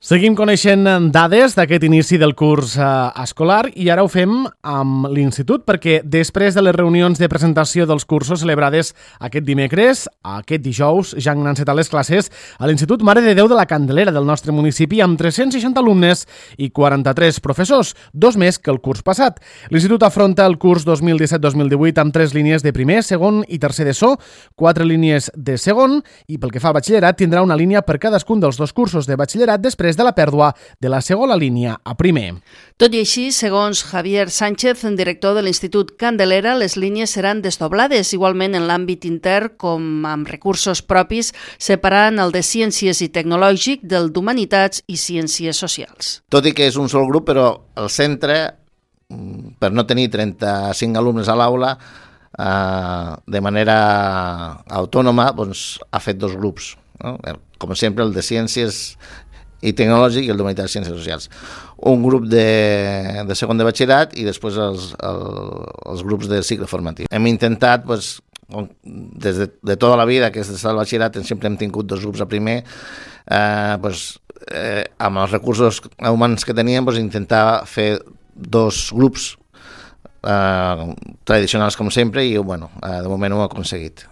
Seguim coneixent dades d'aquest inici del curs escolar i ara ho fem amb l'Institut perquè després de les reunions de presentació dels cursos celebrades aquest dimecres, aquest dijous ja han encetat les classes a l'Institut Mare de Déu de la Candelera del nostre municipi amb 360 alumnes i 43 professors, dos més que el curs passat. L'Institut afronta el curs 2017-2018 amb 3 línies de primer, segon i tercer d'ESO, 4 línies de segon i pel que fa al batxillerat tindrà una línia per cadascun dels dos cursos de batxillerat després de la pèrdua de la segona línia a primer. Tot i així, segons Javier Sánchez, director de l'Institut Candelera, les línies seran desdoblades, igualment en l'àmbit intern com amb recursos propis, separant el de Ciències i Tecnològic del d'Humanitats i Ciències Socials. Tot i que és un sol grup, però el centre, per no tenir 35 alumnes a l'aula, de manera autònoma, doncs, ha fet dos grups, no? Com sempre el de Ciències i Tecnològic i el d'Humanitats i Ciències Socials. Un grup de segon de batxillerat i després els grups de cicle formatiu. Hem intentat, des de tota la vida, que és des del batxillerat, sempre hem tingut dos grups a primer, amb els recursos humans que teníem, intentar fer dos grups tradicionals com sempre i de moment ho hem aconseguit.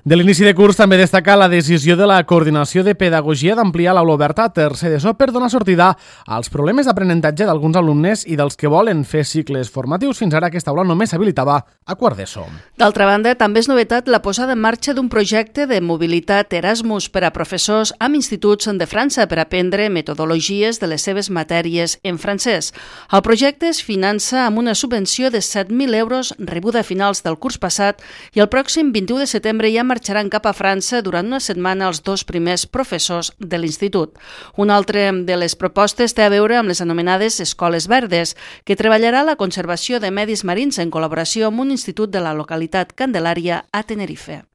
De l'inici de curs també destaca la decisió de la Coordinació de Pedagogia d'ampliar l'aula oberta a tercer d'ESO per donar sortida als problemes d'aprenentatge d'alguns alumnes i dels que volen fer cicles formatius. Fins ara aquesta aula només s'habilitava a quart d'ESO. D'altra banda, també és novetat la posada en marxa d'un projecte de mobilitat Erasmus per a professors amb instituts de França per aprendre metodologies de les seves matèries en francès. El projecte es finança amb una subvenció de 7.000 euros rebuda a finals del curs passat i el pròxim 21 de setembre ja marxaran cap a França durant una setmana els dos primers professors de l'institut. Una altra de les propostes té a veure amb les anomenades Escoles Verdes, que treballarà la conservació de medis marins en col·laboració amb un institut de la localitat Candelària a Tenerife.